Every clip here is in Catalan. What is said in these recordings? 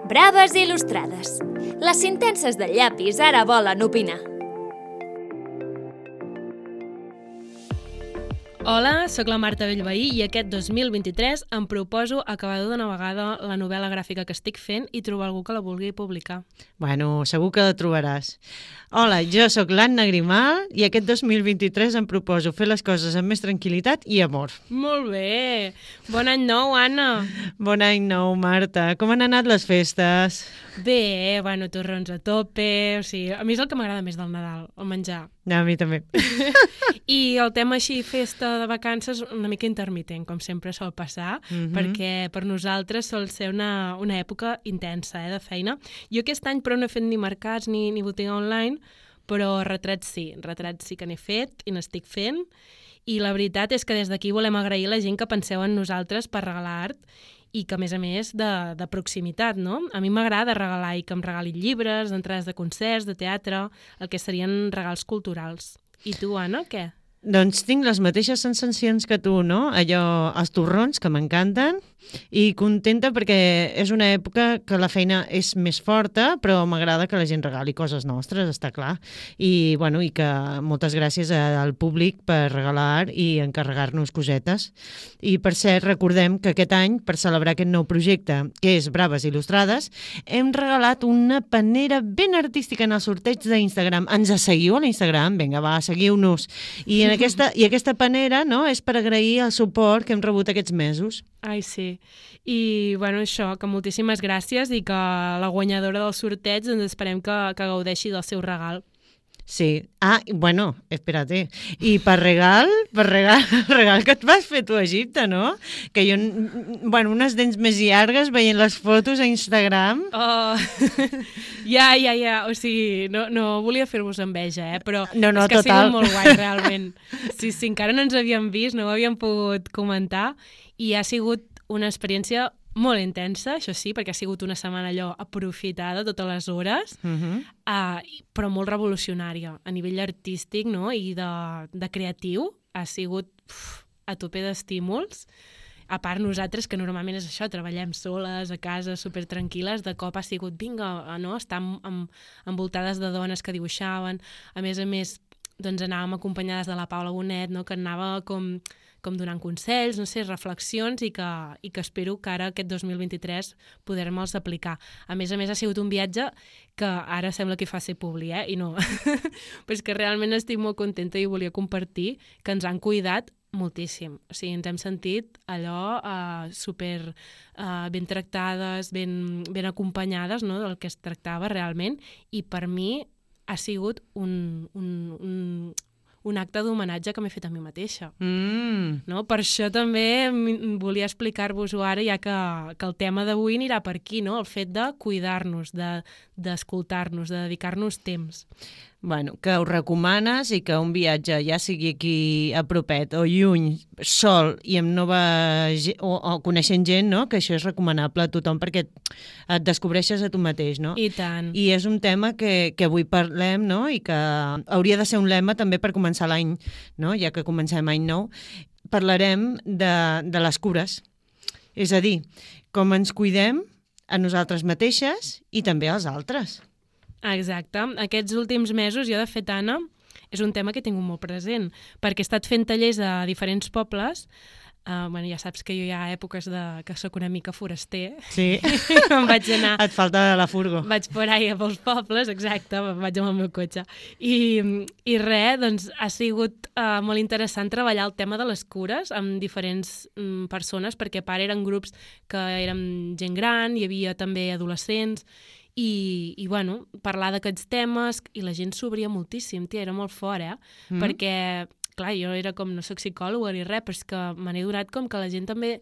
Braves il·lustrades. Les sentències del llapis ara volen opinar. Hola, sóc la Marta Bellveí i aquest 2023 em proposo acabar d'una vegada la novel·la gràfica que estic fent i trobar algú que la vulgui publicar. Bueno, segur que la trobaràs. Hola, jo sóc l'Anna Grimal i aquest 2023 em proposo fer les coses amb més tranquil·litat i amor. Molt bé! Bon any nou, Anna! Bon any nou, Marta. Com han anat les festes? Bé, bueno, torrons a tope, o sigui, a mi és el que m'agrada més del Nadal, el menjar. A mi també. I el tema així, festa de vacances, una mica intermitent, com sempre sol passar, perquè per nosaltres sol ser una època intensa de feina. Jo aquest any però no he fet ni mercats ni botiga online, però retrats sí que n'he fet i n'estic fent. I la veritat és que des d'aquí volem agrair a la gent que penseu en nosaltres per regalar art i que, a més, de proximitat, no? A mi m'agrada regalar i que em regalin llibres, entrades de concerts, de teatre, el que serien regals culturals. I tu, Anna, què? Doncs tinc les mateixes sensacions que tu, no? Allò, els torrons, que m'encanten, i contenta perquè és una època que la feina és més forta, però m'agrada que la gent regali coses nostres, està clar. I, bueno, i que moltes gràcies al públic per regalar i encarregar-nos cosetes. I, per cert, recordem que aquest any, per celebrar aquest nou projecte, que és Braves il·lustrades, hem regalat una panera ben artística en el sorteig d'Instagram. Ens seguiu a l'Instagram? Vinga, va, seguiu-nos. I aquesta panera, no?, és per agrair el suport que hem rebut aquests mesos. Ai, sí. I, bueno, això, que moltíssimes gràcies i que la guanyadora del sorteig ens esperem que gaudeixi del seu regal. Sí. Ah, bueno, espérate. I per regal, el regal que et vas fer tu a Egipte, no? Que jo, bueno, unes dents més llargues veient les fotos a Instagram. Oh, ja. O sigui, no volia fer-vos enveja, però no, és que total. Ha sigut molt guai, realment. Sí, encara no ens havíem vist, no ho havíem pogut comentar i ha sigut una experiència molt intensa, això sí, perquè ha sigut una setmana allò aprofitada totes les hores, però molt revolucionària a nivell artístic, no? I de creatiu. Ha sigut a tope d'estímuls. A part, nosaltres, que normalment és això, treballem soles, a casa, supertranquil·les, de cop ha sigut, vinga, no? Estar envoltades de dones que dibuixaven. A més, doncs anàvem acompanyades de la Paula Bonet, no? Que anava com donant consells, no sé, reflexions i que espero que ara aquest 2023 poder-me'ls aplicar. A més, ha sigut un viatge que ara sembla que fa ser publi, i no. Però és que realment estic molt contenta i volia compartir que ens han cuidat moltíssim. O sigui, ens hem sentit allò super ben tractades, ben acompanyades, no?, del que es tractava realment, i per mi ha sigut un acte d'homenatge que m'he fet a mi mateixa. No? Per això també volia explicar-vos-ho ara, ja que el tema d'avui anirà per aquí, no? El fet de cuidar-nos, d'escoltar-nos, de dedicar-nos temps. Bueno, que ho recomanes i que un viatge, ja sigui aquí a propet o lluny, sol i amb nova o coneixent gent, no?, que això és recomanable a tothom perquè et descobreixes a tu mateix, no? I tant. I és un tema que avui parlem, no?, i que hauria de ser un lema també per començar l'any, no?, ja que comencem any nou. Parlarem de les cures, és a dir, com ens cuidem a nosaltres mateixes i també als altres. Exacte. Aquests últims mesos, jo de fet, Anna, és un tema que he tingut molt present, perquè he estat fent tallers a diferents pobles. Bueno, ja saps que jo hi ha èpoques que sóc una mica foraster. Sí. Em vaig anar... Et falta la furgo. Vaig por ahí pels pobles, exacte, vaig amb el meu cotxe. I res, doncs ha sigut molt interessant treballar el tema de les cures amb diferents persones, perquè a part eren grups que érem gent gran, hi havia també adolescents, i bueno, parlar d'aquests temes, i la gent s'obria moltíssim, tia, era molt fort, perquè, clar, jo era com, no soc psicòloga ni res, però és que me n'he donat com que la gent també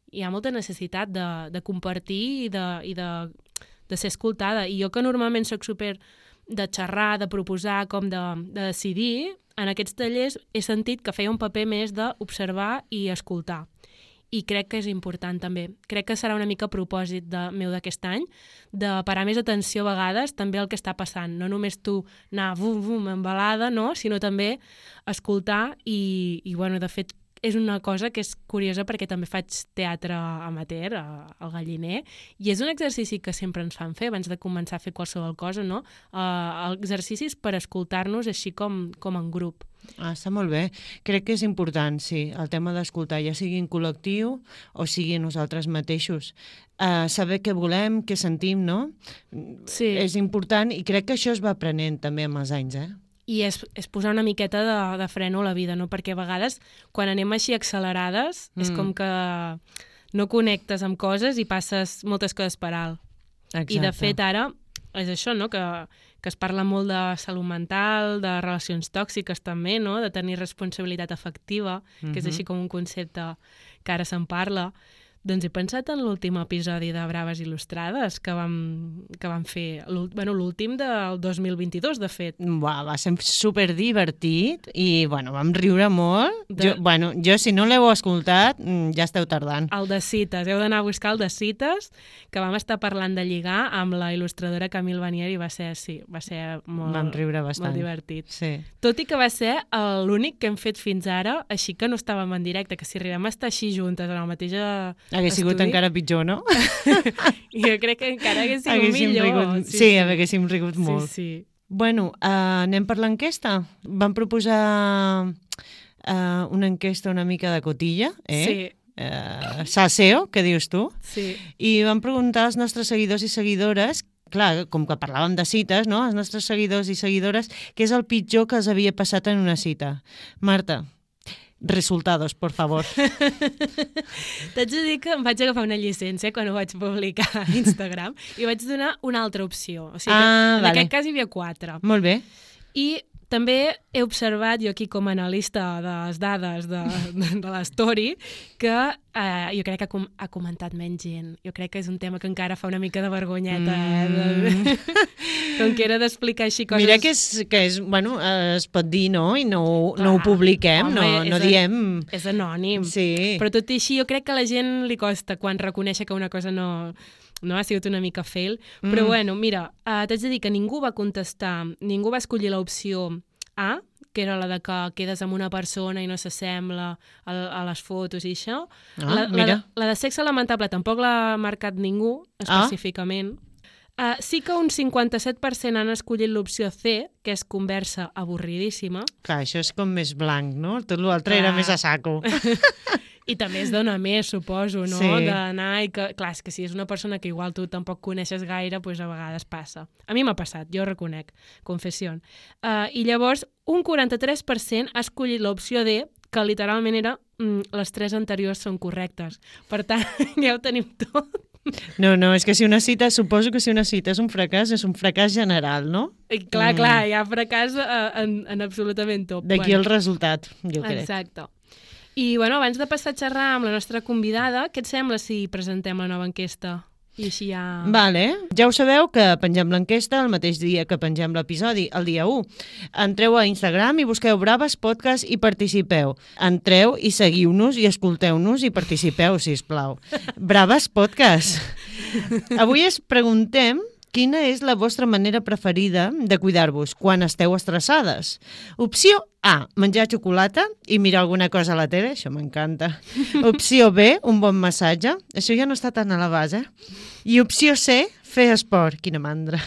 hi ha molta necessitat de compartir i de ser escoltada, i jo que normalment soc super de xerrar, de proposar, com de decidir, en aquests tallers he sentit que feia un paper més d'observar i escoltar. I crec que és important també. Crec que serà una mica a propòsit meu d'aquest any, de parar més atenció a vegades també al que està passant. No només tu anar bum, embalada, no? Sinó també escoltar i bueno, de fet, és una cosa que és curiosa perquè també faig teatre amateur al Galliner i és un exercici que sempre ens fan fer abans de començar a fer qualsevol cosa, no? Exercicis per escoltar-nos així com en grup. Està molt bé. Crec que és important, sí, el tema d'escoltar, ja sigui en col·lectiu o sigui nosaltres mateixos. Saber què volem, què sentim, no? Sí. És important i crec que això es va aprenent també amb els anys, I és posar una miqueta de freno a la vida, no? Perquè a vegades, quan anem així accelerades, és com que no connectes amb coses i passes moltes coses per alt. Exacte. I de fet ara és això, no? Que es parla molt de salut mental, de relacions tòxiques també, no? De tenir responsabilitat afectiva, que és així com un concepte que ara se'n parla. Doncs he pensat en l'últim episodi de Braves Il·lustrades que vam fer, l'últim del 2022, de fet. Va ser superdivertit i, vam riure molt. Jo, si no l'heu escoltat, ja esteu tardant. El de cites, heu d'anar a buscar el de cites, que vam estar parlant de lligar amb la il·lustradora Camille Vanier i va ser molt, vam riure bastant. Molt divertit. Sí. Tot i que va ser l'únic que hem fet fins ara, així que no estàvem en directe, que si arribem a estar així juntes en el mateix Hagués sigut encara pitjor, no? Jo crec que encara hagués sigut millor. Sí, haguéssim rigut molt. Sí. Bueno, anem per l'enquesta. Vam proposar una enquesta una mica de cotilla, Sí. Salseo, què dius tu? Sí. I vam preguntar als nostres seguidors i seguidores, clar, com que parlàvem de cites, no? Els nostres seguidors i seguidores, què és el pitjor que els havia passat en una cita? Marta, resultados, por favor. T'haig de dir que em vaig agafar una llicència quan ho vaig publicar a Instagram i vaig donar una altra opció. O sigui que en aquest cas hi havia 4. Molt bé. I també he observat, jo aquí com a analista de les dades de l'story, que jo crec que ha comentat menys gent. Jo crec que és un tema que encara fa una mica de vergonyeta, com que era d'explicar així coses... Mira que es pot dir, no? I no ho publiquem, no diem... És anònim. Sí. Però tot i així jo crec que a la gent li costa quan reconèixer que una cosa no ha sigut una mica fail, però mira, t'haig de dir que ningú va contestar, ningú va escollir l'opció A, que era la de que quedes amb una persona i no s'assembla a les fotos i això. La de sexe lamentable tampoc l'ha marcat ningú, específicament. Sí que un 57% han escollit l'opció C, que és conversa avorridíssima. Clar, això és com més blanc, no? Tot l'altre era més a saco. I també es dona més, suposo, no? Sí. D'anar i que... Clar, és que si és una persona que igual tu tampoc coneixes gaire, doncs a vegades passa. A mi m'ha passat, jo reconec, confessió. I llavors, un 43% ha escollit l'opció D, que literalment era les 3 anteriors són correctes. Per tant, ja ho tenim tot. No, és que suposo que si una cita és un fracàs general, no? I clar, hi ha fracàs en absolutament tot. D'aquí el resultat, jo crec. Exacte. I, abans de passar a xerrar amb la nostra convidada, què et sembla si presentem la nova enquesta? I així ja... Vale. Ja ho sabeu que pengem l'enquesta el mateix dia que pengem l'episodi, el dia 1. Entreu a Instagram i busqueu Braves Podcast i participeu. Entreu i seguiu-nos i escolteu-nos i participeu, sisplau. Braves Podcast. Avui es preguntem quina és la vostra manera preferida de cuidar-vos quan esteu estressades. Opció A, menjar xocolata i mirar alguna cosa a la tele, això m'encanta. Opció B, un bon massatge, això ja no està tan a la base. I opció C, fer esport, quina mandra.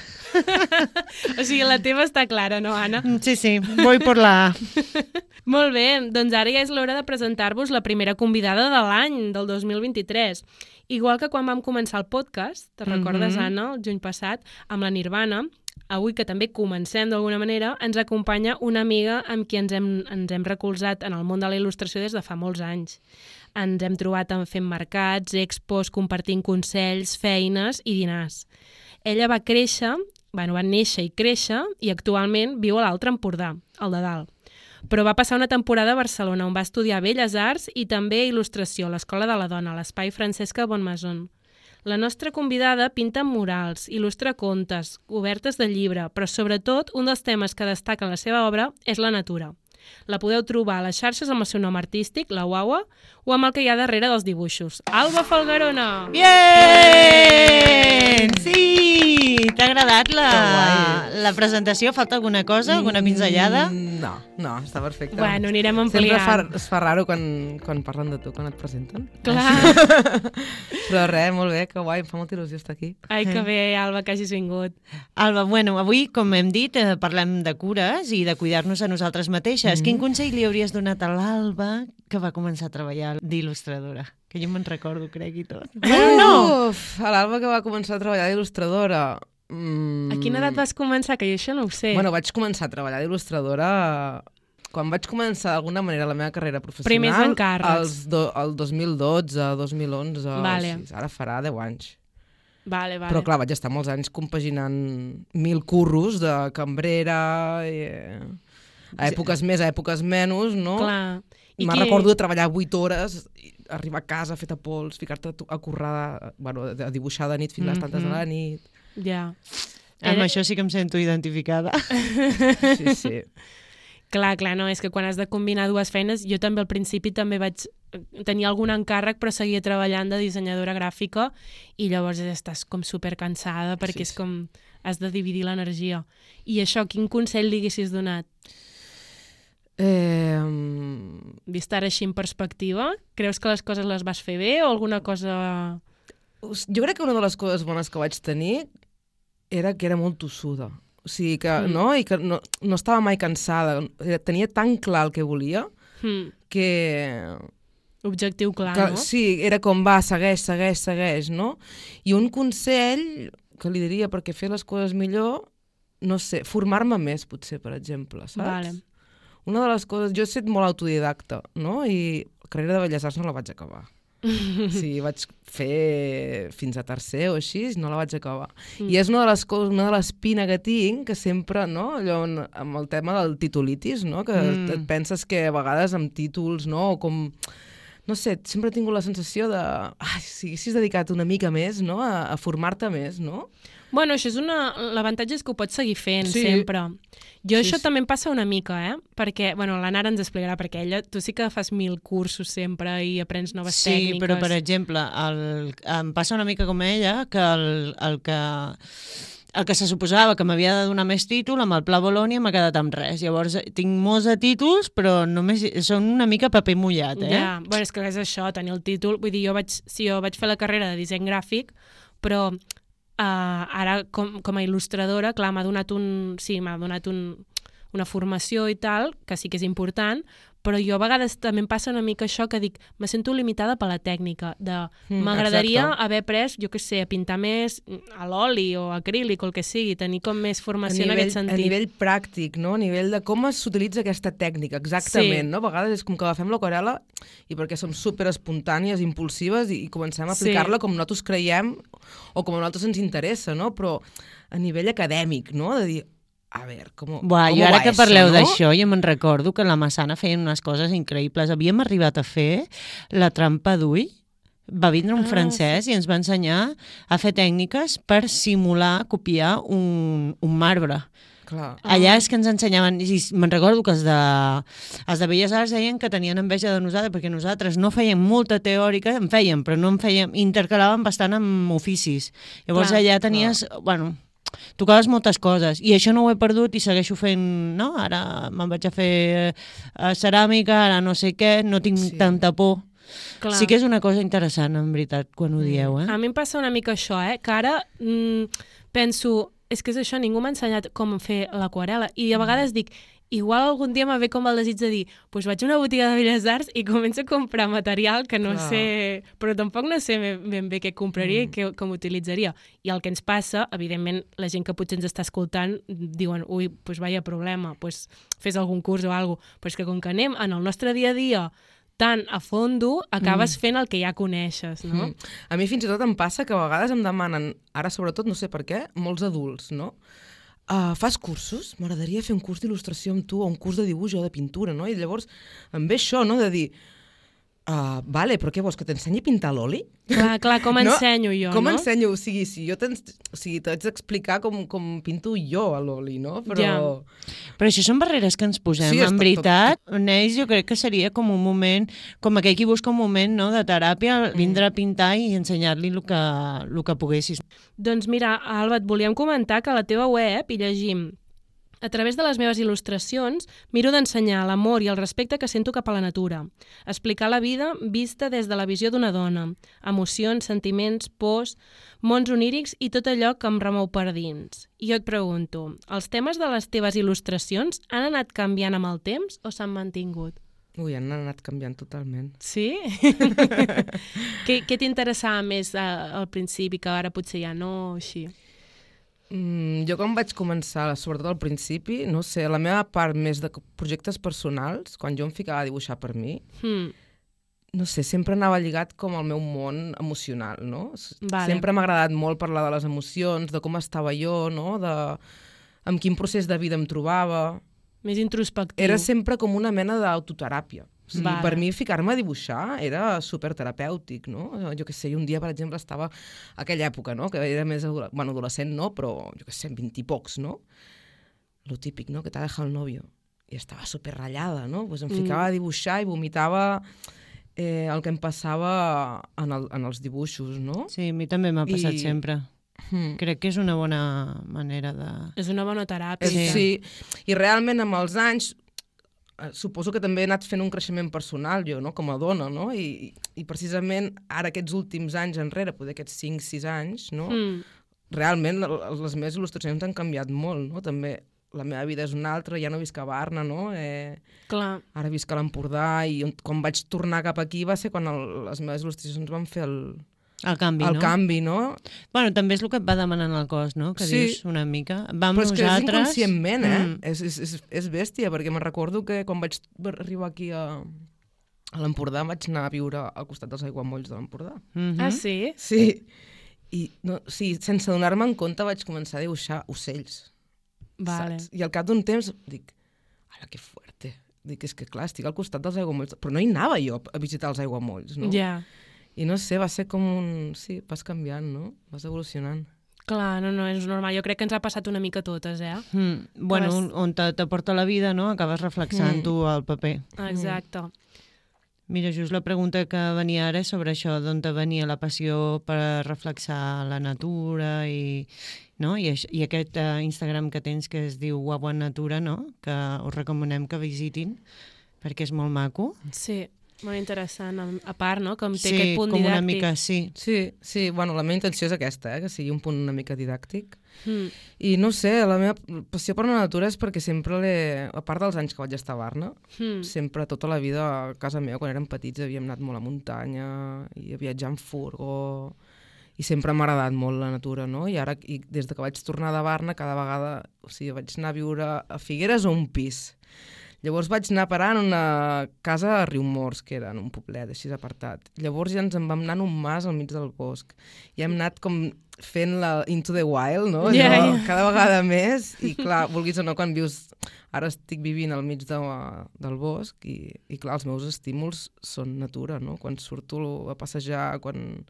O sigui, la teva està clara, no, Anna? Sí, voy por la A. Molt bé, doncs ara ja és l'hora de presentar-vos la primera convidada de l'any, del 2023. Igual que quan vam començar el podcast, te recordes, Anna, el juny passat, amb la Nirvana, avui que també comencem d'alguna manera, ens acompanya una amiga amb qui ens hem recolzat en el món de la il·lustració des de fa molts anys. Ens hem trobat fent mercats, expos, compartint consells, feines i dinars. Ella va néixer i créixer i actualment viu a l'Altre Empordà, al de dalt. Però va passar una temporada a Barcelona on va estudiar Belles Arts i també il·lustració a l'Escola de la Dona, a l'Espai Francesca Bonmaison. La nostra convidada pinta murals, il·lustra contes, obertes de llibre, però sobretot un dels temes que destaca en la seva obra és la natura. La podeu trobar a les xarxes amb el seu nom artístic, la Wawa, o amb el que hi ha darrere dels dibuixos. Alba Falgarona! Bien! Sí! T'ha agradat la presentació? Falta alguna cosa? Alguna pinzellada? No, està perfecte. Bueno, anirem ampliant. Sempre es fa raro quan parlen de tu, quan et presenten. Clar. Però res, molt bé, que guai, em fa molta il·lusió estar aquí. Ai, que bé, Alba, que hagis vingut. Alba, bueno, avui, com hem dit, parlem de cures i de cuidar-nos a nosaltres mateixes. Quin consell li hauries donat a l'Alba que va començar a treballar d'il·lustradora? Que jo me'n recordo, crec, i tot. Uf, a l'Alba que va començar a treballar d'il·lustradora... A quina edat vas començar? Que jo això no ho sé. Bueno, vaig començar a treballar d'il·lustradora... Quan vaig començar d'alguna manera la meva carrera professional... Primers encàrrecs. El 2012, 2011... Vale. Ara farà 10 anys. Vale. Però clar, vaig estar molts anys compaginant 1000 curros de cambrera... A èpoques més, a èpoques menys, no? Clar. Me'n recordo de treballar 8 hores, arribar a casa feta pols, ficar-te a currar, bueno, a dibuixar de nit fins a les tantes de la nit. Ja. Amb això sí que em sento identificada. Sí. Clar, no, és que quan has de combinar dues feines, jo també al principi també vaig tenir algun encàrrec però seguia treballant de dissenyadora gràfica i llavors estàs com supercansada perquè és com has de dividir l'energia. I això, quin consell li haguessis donat? Vist ara així en perspectiva, creus que les coses les vas fer bé o alguna cosa... Jo crec que una de les coses bones que vaig tenir era que era molt tossuda. O sigui que, no? I que no estava mai cansada. Tenia tan clar el que volia que... Objectiu clar, no? Sí, era com va, segueix, no? I un consell que li diria perquè fer les coses millor, no sé, formar-me més, potser, per exemple, saps? Vale. Una de les coses... Jo he estat molt autodidacta, no? I la carrera de Belles Arts no la vaig acabar. Sí, vaig fer fins a tercer o així, no la vaig acabar. I és una de les coses, una de les espines que tinc, que sempre, no? Allò amb el tema del titulitis, no? Que et penses que a vegades amb títols, no? O com... No sé, sempre he tingut la sensació de... si haguessis dedicat una mica més, no? A formar-te més, no? Bueno, això és l'avantatge és que ho pots seguir fent sempre. Jo això també em passa una mica, perquè, bueno, la Nara ens explicarà, perquè ella, tu sí que fas 1000 cursos sempre i aprens noves tècniques. Sí, però per exemple, em passa una mica com ella, que el que se suposava que m'havia de donar més títol, amb el Pla Bolònia m'ha quedat amb res. Llavors, tinc molts de títols, però només són una mica paper mullat, Ja, bueno, és que és això, tenir el títol. Vull dir, jo vaig fer la carrera de disseny gràfic, però ara, com a il·lustradora, clar, m'ha donat una formació i tal, que sí que és important, però jo a vegades també em passa una mica això que dic, me sento limitada per la tècnica, m'agradaria haver pres, jo què sé, a pintar més a l'oli o acrílic o el que sigui, tenir com més formació en aquest sentit. A nivell pràctic, no? A nivell de com s'utilitza aquesta tècnica, exactament, no? A vegades és com que agafem l'aquarel·la i perquè som super espontànies, impulsives i comencem a aplicar-la com nosaltres creiem o com a nosaltres ens interessa, no? Però a nivell acadèmic, no? De dir, a veure, com jo ara que parleu d'això, jo me'n recordo que la Massana feien unes coses increïbles. Havíem arribat a fer la trampa d'ull. Va vindre un francès i ens va ensenyar a fer tècniques per simular, copiar un marbre. Clar. Allà és que ens ensenyaven, i me'n recordo que els de Belles Arts deien que tenien enveja de nosaltres, perquè nosaltres no fèiem molta teòrica, en fèiem, però no en fèiem, intercalàvem bastant amb oficis. Llavors allà tenies, bueno, tocaves moltes coses, i això no ho he perdut i segueixo fent, no? Ara me'n vaig a fer ceràmica, ara no sé què, no tinc tanta por. Clar. Sí que és una cosa interessant, en veritat, quan ho dieu, A mi em passa una mica això, que ara penso, és que és això, ningú m'ha ensenyat com fer l'aquarel·la, i a vegades dic, igual algun dia me ve com el desig de dir, doncs vaig a una botiga de Belles Arts i començo a comprar material que no sé, però tampoc no sé ben bé què compraria i com utilitzaria. I el que ens passa, evidentment, la gent que potser ens està escoltant diuen, ui, doncs vaya problema, doncs fes algun curs o alguna cosa, però és que com que anem en el nostre dia a dia tan a fondo, acabes fent el que ja coneixes, no? A mi fins i tot em passa que a vegades em demanen, ara sobretot, no sé per què, molts adults, no? Fas cursos? M'agradaria fer un curs d'il·lustració amb tu o un curs de dibuix o de pintura, no? I llavors em ve això, no? De dir, Vale, però què vols, que t'ensenyi a pintar l'oli? Clar, com ensenyo jo, com no? ensenyo? O sigui, si jo t'haig d'explicar com pinto jo a l'oli, no? Però... Però això són barreres que ens posem, Sí, en veritat. Neix, jo crec que seria com un moment, com aquell qui busca un moment, no?, de teràpia, vindre a pintar i ensenyar-li el que poguessis. Doncs mira, Alba, et volíem comentar que a la teva web hi llegim: a través de les meves il·lustracions, miro d'ensenyar l'amor i el respecte que sento cap a la natura. Explicar la vida vista des de la visió d'una dona. Emocions, sentiments, pors, mons onírics i tot allò que em remou per dins. I jo et pregunto, els temes de les teves il·lustracions han anat canviant amb el temps o s'han mantingut? Ui, han anat canviant totalment. Sí? Què t'interessava més al principi, que ara potser ja no, o així? Jo quan vaig començar, sobretot al principi, no sé, la meva part més de projectes personals, quan jo em ficava a dibuixar per mi, no sé, sempre anava lligat com al meu món emocional, no? Vale. Sempre m'ha agradat molt parlar de les emocions, de com estava jo, no? Amb quin procés de vida em trobava. Més introspectiu. Era sempre com una mena d'autoteràpia. O sigui, Vale. per mi ficar-me a dibuixar era superterapèutic, no? Jo què sé, un dia, per exemple, estava a aquella època, no?, que era més adolescent, no?, però, jo què sé, 20 i pocs, no? Lo típic, no?, que t'ha dejado el novio. I estava superratllada, no? Pues em ficava a dibuixar i vomitava el que em passava en els dibuixos, no? Sí, a mi també m'ha passat sempre. Crec que és una bona manera de... És una bona teràpia. Sí, i realment amb els anys suposo que també he anat fent un creixement personal jo, no?, com a dona, no? I precisament ara aquests últims anys enrere, poder aquests 5-6 anys, no? Realment les meves il·lustracions han canviat molt, no? També la meva vida és una altra, ja no visc a Barna, no? Clar. Ara visc a l'Empordà i quan vaig tornar cap aquí va ser quan les meves il·lustracions van fer el canvi, no? Bueno, també és el que et va demanant el cos, no? Que sí. Dius una mica. Vam però és nosaltres... que és inconscientment, és bèstia, perquè me'n recordo que quan vaig arribar aquí a l'Empordà vaig anar a viure al costat dels aiguamolls de l'Empordà. Ah, sí? Sí. I sense donar-me en compte vaig començar a dibuixar ocells. Vale. Saps? I al cap d'un temps dic, ala, que fuerte. Dic, és que clar, estic al costat dels aiguamolls, però no hi anava jo a visitar els aiguamolls, no? Ja. I no sé, va ser com sí, vas canviant, no? Vas evolucionant. Clar, no, és normal. Jo crec que ens ha passat una mica a totes, Bueno, on t'aporta la vida, no? Acabes reflexant-ho al paper. Exacte. Mira, just la pregunta que venia ara és sobre això, d'on te venia la passió per reflexar la natura i aquest Instagram que tens que es diu Guagua Natura, no? Que us recomanem que visitin perquè és molt maco. Sí. Molt interessant, a part, no?, com té aquest punt com didàctic. Una mica, sí. Sí, bueno, la meva intenció és aquesta, que sigui un punt una mica didàctic. I no sé, la meva passió per la natura és perquè sempre a part dels anys que vaig estar a Barna, sempre tota la vida a casa meva, quan érem petits, havíem anat molt a muntanya i a viatjar en furgó, i sempre m'ha agradat molt la natura, no? I ara, des que vaig tornar de Barna, cada vegada, o sigui, vaig anar a viure a Figueres o un pis. Llavors vaig anar a parar en una casa a Riumors, que era en un poblet així apartat. Llavors ja ens en vam anar en un mas al mig del bosc. I hem anat com fent la Into the Wild, no? Cada vegada més. I clar, vulguis o no, quan vius... Ara estic vivint al mig del bosc i clar, els meus estímuls són natura, no? Quan surto a passejar, quan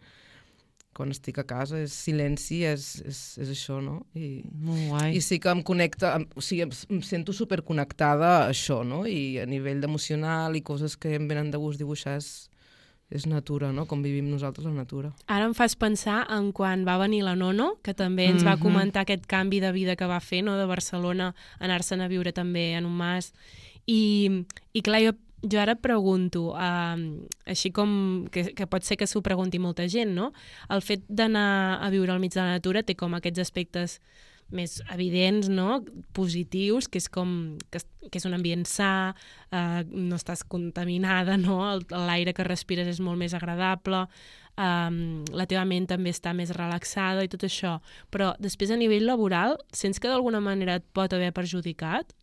estic a casa, és silenci, és això, no? Molt guai. I sí que em connecta, o sigui, em sento superconnectada a això, no? I a nivell emocional i coses que em venen de gust dibuixar és natura, no? Com vivim nosaltres la natura. Ara em fas pensar en quan va venir la Nono, que també ens va comentar aquest canvi de vida que va fer, no?, de Barcelona, anar-se'n a viure també en un mas. I clar, jo ara pregunto, així com que pot ser que s'ho pregunti molta gent, no? El fet d'anar a viure al mig de la natura té com aquests aspectes més evidents, no?, positius, que és com que és un ambient sa, no estàs contaminada, no?, l'aire que respires és molt més agradable, la teva ment també està més relaxada i tot això. Però després a nivell laboral, sents que d'alguna manera et pot haver perjudicat?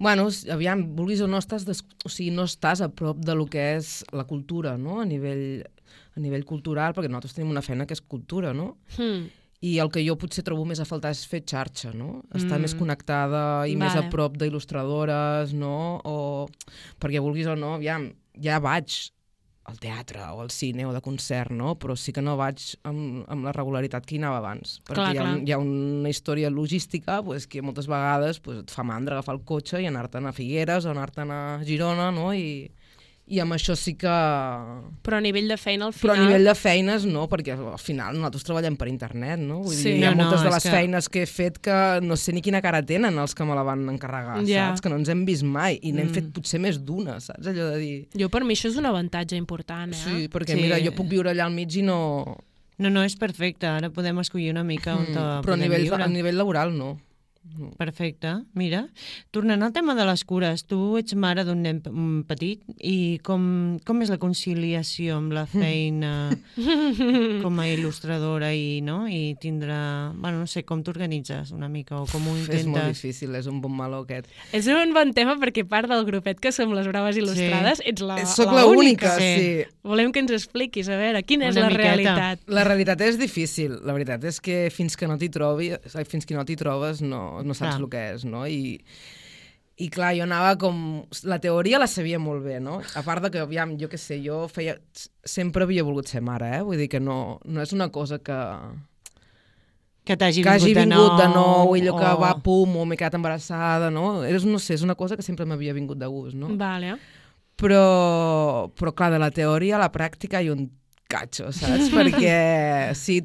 Bueno, aviam, vulguis o no, no estàs a prop de lo que és la cultura, no?, a nivell cultural, perquè nosaltres tenim una feina que és cultura, no? I el que jo potser trobo més a faltar és fer xarxa, no? Estar més connectada i més a prop d'il·lustradores, no? Perquè vulguis o no, aviam, ja vaig al teatre o al cine o de concert, no? Però sí que no vaig amb la regularitat que hi anava abans. Perquè hi ha una història logística pues, que moltes vegades pues, et fa mandra agafar el cotxe i anar-te'n a Figueres o anar-te'n a Girona, no? I amb això sí que... Però a nivell de feina, al final... Però a nivell de feines no, perquè al final nosaltres treballem per internet, no? Vull dir, hi ha moltes de les feines que he fet que no sé ni quina cara tenen els que me la van encarregar, saps? Que no ens hem vist mai i n'hem fet potser més d'una, saps? Allò de dir... Jo per mi això és un avantatge important, Sí, perquè mira, jo puc viure allà al mig i no... No, és perfecte, ara podem escollir una mica on però a nivell laboral no. Perfecte, mira. Tornant al tema de les cures, tu ets mare d'un nen petit i com és la conciliació amb la feina com a il·lustradora i tindre... Bueno, no sé, com t'organitzes una mica o com ho intentes? És molt difícil, és un bon meló aquest. És un bon tema perquè part del grupet que som les Braves Il·lustrades ets la Soc la única, sí. Volem que ens expliquis, a veure, quina és la realitat? La realitat és difícil. La veritat és que fins que no t'hi trobes no saps el que és, no? I clar, jo anava com... La teoria la sabia molt bé, no? A part de que, aviam, jo què sé, sempre havia volgut ser mare, eh? Vull dir que no és una cosa que hagi vingut de nou, i allò que va, pum, o m'he quedat embarassada, no? No sé, és una cosa que sempre m'havia vingut de gust, no? Vale. Però clar, de la teoria a la pràctica hi ha un catxo, saps? Perquè sí,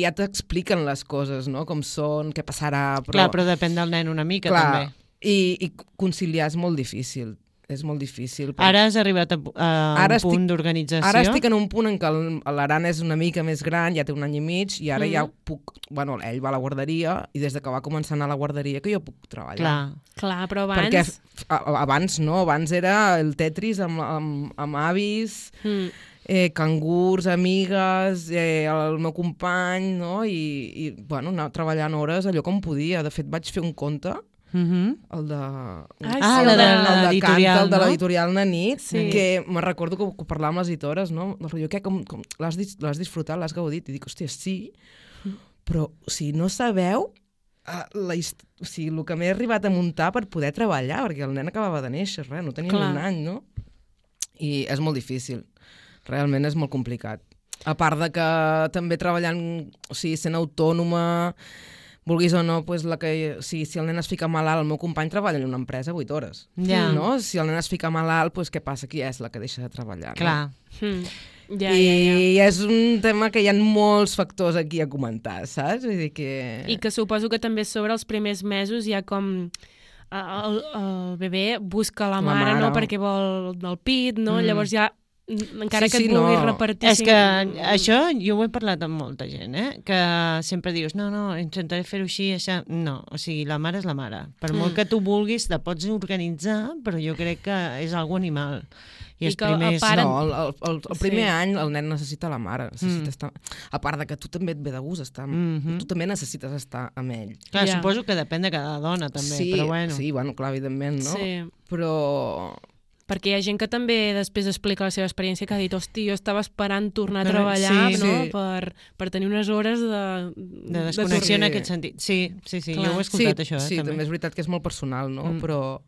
ja t'expliquen les coses, no? Com són, què passarà... Clar, però depèn del nen una mica, també. I conciliar és molt difícil. És molt difícil. Ara has arribat a un punt d'organització? Ara estic en un punt en què l'Aran és una mica més gran, ja té 1 any i mig, i ara ja puc... Bueno, ell va a la guarderia, i des que va començar a anar a la guarderia que jo puc treballar. Clar, però abans... Perquè abans no, abans era el Tetris amb avis... cangurs, amigues, el meu company, no? I bueno, anar treballant hores allò com podia. De fet, vaig fer un conte, el de... el de l'editorial, el de l'editorial Nanit, que me recordo que ho parlàvem amb les editores, no? Com l'has disfrutat, l'has gaudit? I dic, hòstia, sí, però si no sabeu el que m'he arribat a muntar per poder treballar, perquè el nen acabava de néixer, no tenia ni 1 any, no? I és molt difícil. Realment és molt complicat. A part de que també treballant, o sigui, sent autònoma, vulguis o no, pues si el nen es fica malalt, el meu company treballa en una empresa 8 hores. No? Si el nen es fica malalt, pues què passa? Qui és la que deixa de treballar? Clar. I és un tema que hi ha molts factors aquí a comentar, saps? Vull dir que... I que suposo que també sobre els primers mesos hi ha com... El bebè busca la mare, no? Perquè vol el pit, no? Llavors ja... encara que et vulguis repartir... És que això jo ho he parlat amb molta gent, que sempre dius, no, intentaré fer-ho així, això... No, o sigui, la mare és la mare. Per molt que tu vulguis, te pots organitzar, però jo crec que és algo animal. I els primers... el primer any el nen necessita la mare. Estar... A part de que tu també et ve de gust estar tu també necessites estar amb ell. Clar, suposo que depèn de cada dona, també, però bueno. Sí, bueno, clar, evidentment, no? Sí. Però... Perquè hi ha gent que també després explica la seva experiència, que ha dit, hosti, jo estava esperant tornar a treballar per tenir unes hores de desconnexió en aquest sentit. Sí, jo ho he escoltat, això. Sí, també és veritat que és molt personal, no? Però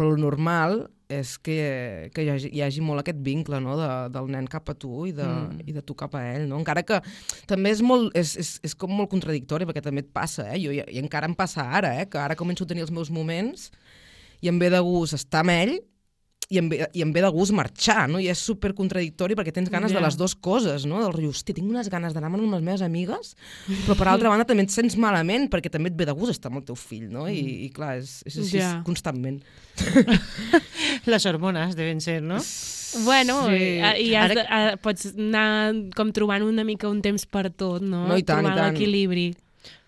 el normal és que hi hagi molt aquest vincle, no? Del nen cap a tu i de tu cap a ell, no? Encara que també és com molt contradictori, perquè també et passa, i encara em passa ara, que ara començo a tenir els meus moments i em ve de gust estar amb ell i em ve de gust marxar, no? I és supercontradictori perquè tens ganes de les dues coses, no? Del rotllo, hòstia, tinc unes ganes d'anar amb les meves amigues, però per altra banda també et sents malament perquè també et ve de gust estar amb el teu fill, no? I clar, és així constantment. Les hormones deuen ser, no? Bueno, i pots anar com trobant una mica un temps per tot, no? No, i tant, trobant l'equilibri.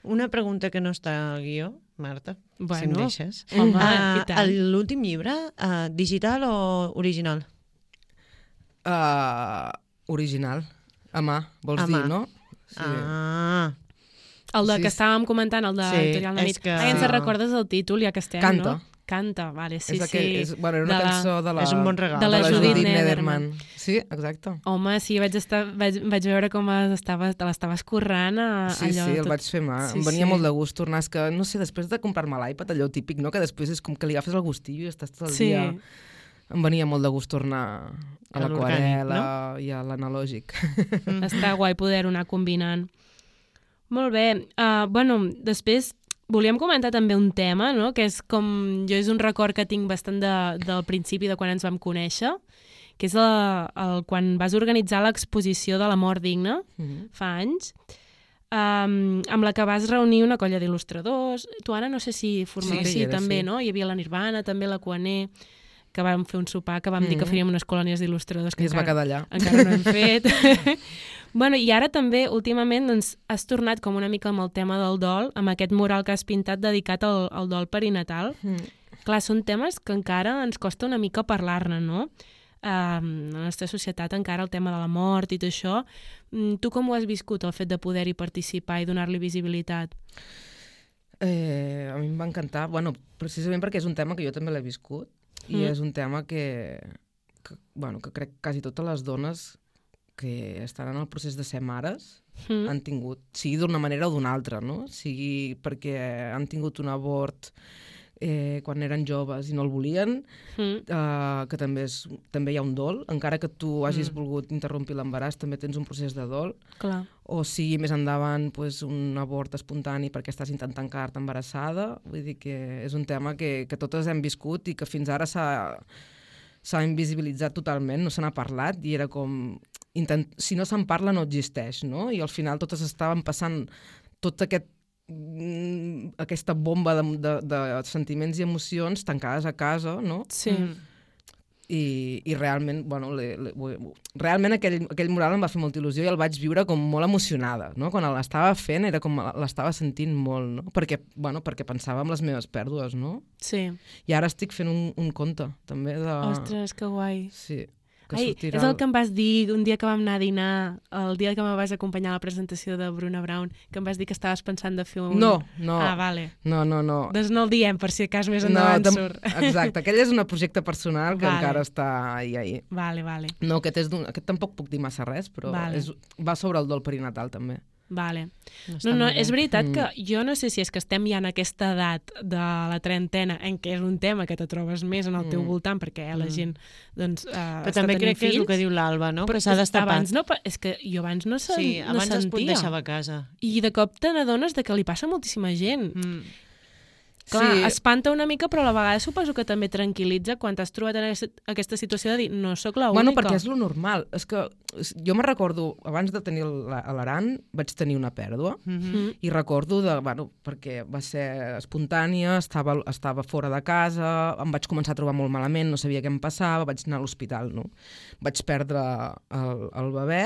Una pregunta que no està al guió, Marta, si em deixes. L'últim llibre, digital o original? Original. A mà, vols dir, no? Sí. El que estàvem comentant, el de l'editorial Nanit. Ens recordes el títol, ja que estem, Canta. no? Canta, vale, sí. Era una cançó de la... És un bon regal. De la Judith Nederman. Sí, exacte. Home, sí, vaig veure com te l'estaves currant allò. Sí, el vaig fer mà. Em venia molt de gust tornar. És que, no sé, després de comprar-me l'iPad, allò típic, no? Que després és com que li agafes el gustillo i estàs tot el dia em venia molt de gust tornar a A l'orgànic, l'aquarela i a l'analògic. Està guai poder-ho anar combinant. Molt bé. Bueno, després volíem comentar també un tema, no? Que és com... Jo és un record que tinc bastant del principi de quan ens vam conèixer, que és quan vas organitzar l'exposició de la mort digna, fa anys, amb la que vas reunir una colla d'il·lustradors. Tu, Anna, no sé si formaves Sí, també, sí. no? Hi havia la Nirvana, també la Cuaner, que vam fer un sopar, que vam dir que faríem unes colònies d'il·lustradors que I es va quedar allà. encara no hem fet. Bueno, i ara també, últimament, doncs, has tornat com una mica amb el tema del dol, amb aquest mural que has pintat dedicat al dol perinatal. Clar, són temes que encara ens costa una mica parlar-ne, no? A la nostra societat encara el tema de la mort i tot això. Tu com ho has viscut, el fet de poder-hi participar i donar-li visibilitat? A mi em va encantar, bueno, precisament perquè és un tema que jo també l'he viscut i és un tema que crec que quasi totes les dones que estan en el procés de ser mares han tingut, sigui d'una manera o d'una altra, no? Sigui perquè han tingut un abort quan eren joves i no el volien, que també hi ha un dol, encara que tu hagis volgut interrompre l'embaràs, també tens un procés de dol. Clar. O sigui més endavant un abort espontani perquè estàs intentant quedar-te embarassada. Vull dir que és un tema que totes hem viscut i que fins ara s'ha invisibilitzat totalment, no se n'ha parlat i era com... Si no se'n parla no existeix, no? I al final totes estaven passant tot aquesta bomba de sentiments i emocions tancades a casa, no? Sí. I realment, realment aquell mural em va fer molta il·lusió i el vaig viure com molt emocionada, no? Quan l'estava fent era com l'estava sentint molt, no? Perquè pensava en les meves pèrdues, no? Sí. I ara estic fent un conte, també, de... Ostres, que guai. Sí. Ai, és el que em vas dir un dia que vam anar a dinar, el dia que me vas acompanyar a la presentació de Bruna Brown, que em vas dir que estaves pensant de fer un... No. Ah, vale. No. Doncs no el diem, per si a cas més endavant surt. Exacte, aquell és un projecte personal que encara està ahí. Vale. No, aquest tampoc puc dir massa res, però va sobre el dol perinatal, també. Vale. No, és veritat que jo no sé si és que estem ja en aquesta edat de la trentena en què és un tema que te trobes més en el teu voltant perquè la gent doncs, però també crec que és el que diu l'Alba, no? Però s'ha destapat. És que jo abans no sentia. Sí, abans es deixava a casa. I de cop te n'adones que li passa a moltíssima gent. Clar, espanta una mica, però a la vegada suposo que també tranquil·litza quan t'has trobat en aquesta situació de dir no sóc l'única. Bueno, perquè és lo normal. És que jo me recordo, abans de tenir l'Aran, vaig tenir una pèrdua i recordo perquè va ser espontània, estava fora de casa, em vaig començar a trobar molt malament, no sabia què em passava, vaig anar a l'hospital, no? Vaig perdre el bebè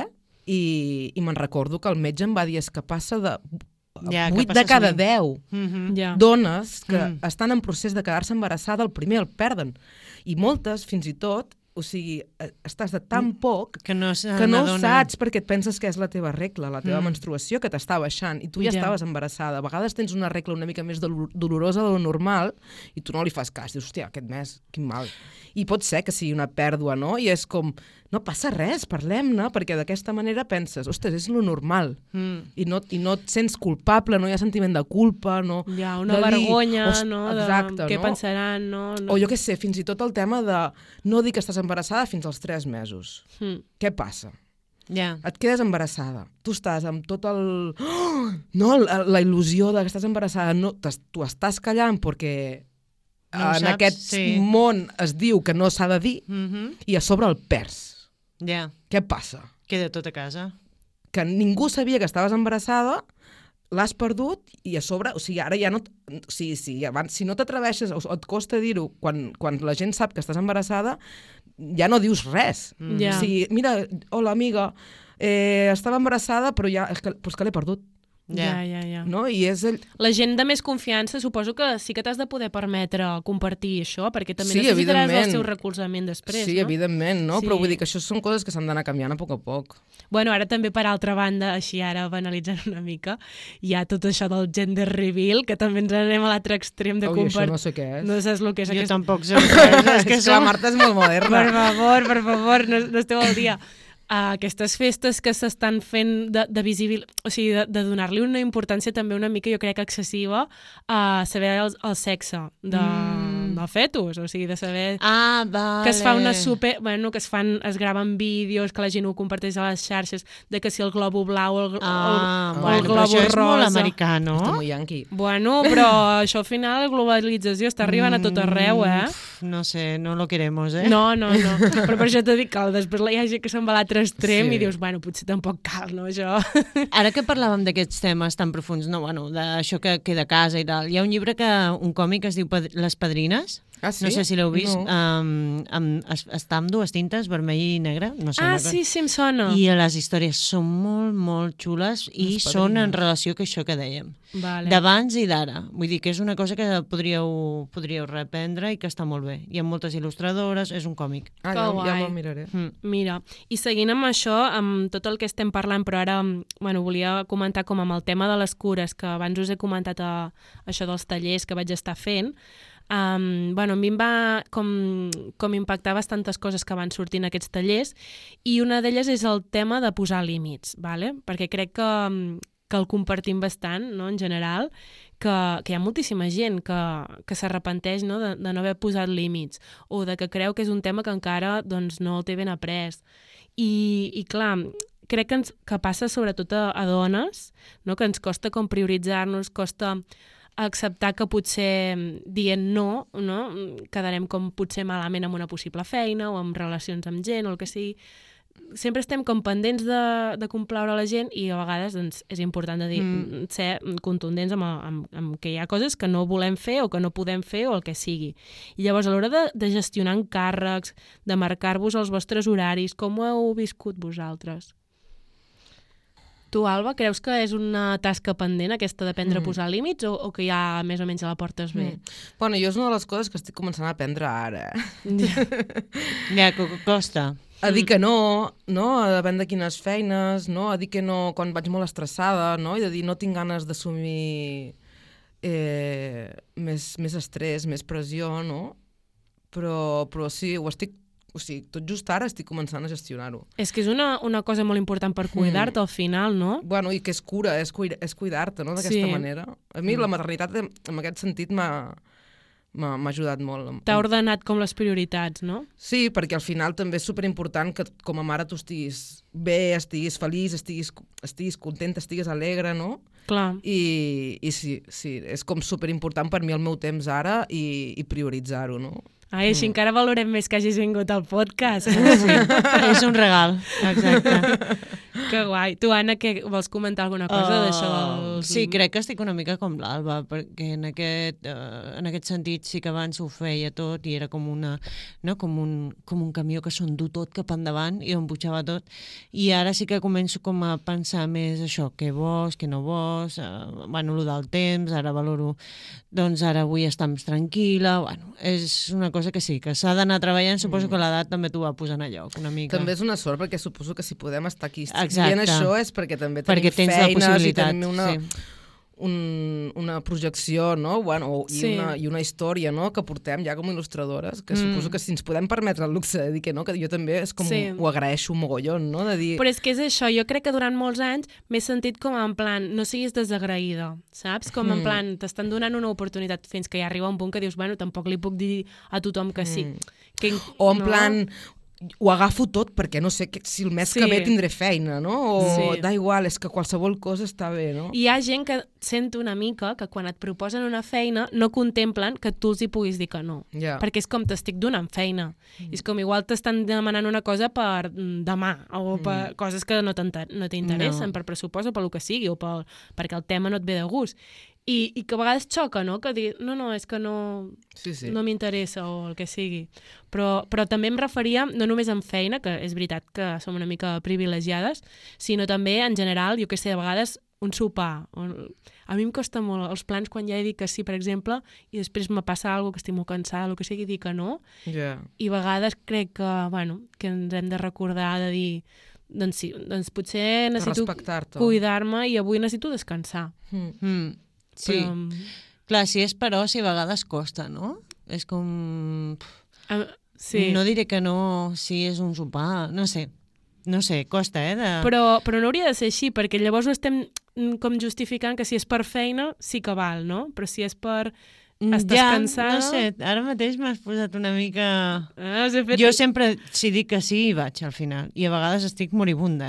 i me'n recordo que el metge em va dir és que passa de... 8 de cada 10 dones que estan en procés de quedar-se embarassada, el primer el perden. I moltes, fins i tot, o sigui, estàs de tan poc que no ho saps perquè et penses que és la teva regla, la teva menstruació que t'està baixant i tu ja estaves embarassada. A vegades tens una regla una mica més dolorosa de lo normal i tu no li fas cas. Dius, hòstia, aquest mes, quin mal. I pot ser que sigui una pèrdua, no? I és com, no passa res, parlem-ne, perquè d'aquesta manera penses, ostres, és lo normal. I no et sents culpable, no hi ha sentiment de culpa, no... Hi ha una vergonya, no? Exacte, què pensaran, no? O jo què sé, fins i tot el tema de no dir que estàs embarassada fins als 3 mesos. Què passa? Et quedes embarassada. Tu estàs amb tot el... la il·lusió de que estàs embarassada. Tu estàs callant perquè en aquest món es diu que no s'ha de dir i a sobre el perds. Què passa? Queda tot a casa. Que ningú sabia que estaves embarassada, l'has perdut i a sobre, o sigui, ara ja no... Abans, si no t'atreveixes o et costa dir-ho, quan la gent sap que estàs embarassada, ja no dius res. O sigui, mira, hola, amiga, estava embarassada, però és que l'he perdut. Ja. No? I és la gent de més confiança suposo que sí que t'has de poder permetre compartir això, perquè també necessitaràs el seu recolzament després, no? Sí, evidentment, no? Però vull dir que això són coses que s'han d'anar canviant a poc a poc. Bueno, ara també per altra banda, així ara banalitzant una mica, hi ha tot això del gender reveal, que també ens anem a l'altre extrem de compartir. Això no sé què és. No saps el que és. Jo tampoc sé què és. És que la Marta és molt moderna. Per favor, no esteu al dia. Aquestes festes que s'estan fent de visibil... O sigui, de donar-li una importància també una mica, jo crec, excessiva a saber el sexe del fetus, o sigui, de saber vale. que es fa una super... Bueno, que es graven vídeos, que la gent ho comparteix a les xarxes, de que si el globus blau o el bueno, globus però això és molt rosa... americà, no? Està molt yanqui. Bueno, però això al final, la globalització està arribant a tot arreu, No sé, no lo queremos, No. Però per això t'ho dic, que després hi ha gent que se'n va a l'altre extrem i dius, bueno, potser tampoc cal, no, això? Ara que parlàvem d'aquests temes tan profuns, no, bueno, d'això que queda a casa i tal, hi ha un llibre, un còmic que es diu Les Padrines. Ah, sí? No sé si l'heu vist. No. Està amb dues tintes, vermell i negre. No sé, Sí, em sona. I les històries són molt, molt xules i són en relació a això que dèiem. Vale. D'abans i d'ara. Vull dir que és una cosa que podríeu reprendre i que està molt bé. Hi ha moltes il·lustradores, és un còmic. Ja me'l miraré. Mira, i seguint amb això, amb tot el que estem parlant, però ara volia comentar com amb el tema de les cures, que abans us he comentat això dels tallers que vaig estar fent. A mi em va com impactar bastantes coses que van sortir en aquests tallers, i una d'elles és el tema de posar límits, vale? Perquè crec que el compartim bastant, no? En general, que hi ha moltíssima gent que s'arrepenteix, no? de no haver posat límits, o de que creu que és un tema que encara doncs, no el té ben après. I clar, crec que passa sobretot a dones, no? Que ens costa com prioritzar-nos, costa acceptar que potser dient no, quedarem com potser malament amb una possible feina o amb relacions amb gent o el que sigui. Sempre estem com pendents de complaure la gent i a vegades doncs, és important de dir, ser contundents amb que hi ha coses que no volem fer o que no podem fer o el que sigui. I llavors a l'hora de gestionar encàrrecs, de marcar-vos els vostres horaris, com ho heu viscut vosaltres? Tu, Alba, creus que és una tasca pendent aquesta d'aprendre a posar límits o que ja més o menys a la portes bé? Bueno, jo és una de les coses que estic començant a aprendre ara. Ja, que costa. A dir que no, depèn de quines feines, no? A dir que no quan vaig molt estressada, no? I de dir no tinc ganes d'assumir més estrès, més pressió, no? Però sí, tot just ara estic començant a gestionar-ho. És que és una cosa molt important per cuidar-te al final, no? Bueno, i que és cura, és cuidar-te, no?, d'aquesta manera. A mi la maternitat en aquest sentit m'ha ajudat molt. T'ha ordenat com les prioritats, no? Sí, perquè al final també és superimportant que com a mare tu estiguis bé, estiguis feliç, estiguis contenta, estiguis alegre, no? Clar. I sí, és com superimportant per mi el meu temps ara i prioritzar-ho, no? Ai, així encara valorem més que hagis vingut al podcast. Sí, és un regal, exacte. Que guai. Tu, Anna, què vols comentar alguna cosa d'això? Sí, crec que estic una mica com l'Alba, perquè en aquest sentit sí que abans ho feia tot i era com com un camió que s'endú tot cap endavant i em butxava tot. I ara sí que començo com a pensar més això, què vols, què no vols, el del temps, ara valoro, doncs ara vull estar més tranquil·la, és una cosa que sí, que s'ha d'anar treballant, suposo que l'edat també t'ho va posant a lloc una mica. També és una sort, perquè suposo que si podem estar aquí Exacte. dient això és perquè també tenim feines i tenim una projecció, no? I una història, no?, que portem ja com a il·lustradores, que suposo que si ens podem permetre el luxe de dir que no, que jo també és com ho agraeixo un mogollon, no?, de dir... Però és que és això, jo crec que durant molts anys m'he sentit com en plan, no siguis desagraïda, saps? Com en plan, t'estan donant una oportunitat fins que ja arriba un punt que dius, bueno, tampoc li puc dir a tothom que sí. O en plan... ho agafo tot perquè no sé si el mes que ve tindré feina, no? O da igual, és que qualsevol cosa està bé, no? I hi ha gent que sent una mica que quan et proposen una feina no contemplen que tu els hi puguis dir que no. Perquè és com t'estic donant feina. És com igual t'estan demanant una cosa per demà o per coses que no t'interessen, per pressupost o per el que sigui, o perquè el tema no et ve de gust. I que a vegades xoca, no?, que dir, no, és que no m'interessa o el que sigui. Però també em referia, no només en feina, que és veritat que som una mica privilegiades, sinó també en general, jo que sé, a vegades un sopar. A mi em costa molt els plans quan ja he dit que sí, per exemple, i després me passa alguna cosa que estic molt cansada, el que sigui, dir que no. I a vegades crec que ens hem de recordar de dir, doncs sí, doncs potser necessito cuidar-me i avui necessito descansar. Sí, clar, si és per oci a vegades costa, no? És com... No diré que no si és un sopar, no sé, costa, Però no hauria de ser així, perquè llavors ho estem com justificant que si és per feina sí que val, no? Però si és per Estàs cansada? No sé, ara mateix m'has posat una mica... Us he fet... Jo sempre, si dic que sí, hi vaig al final. I a vegades estic moribunda,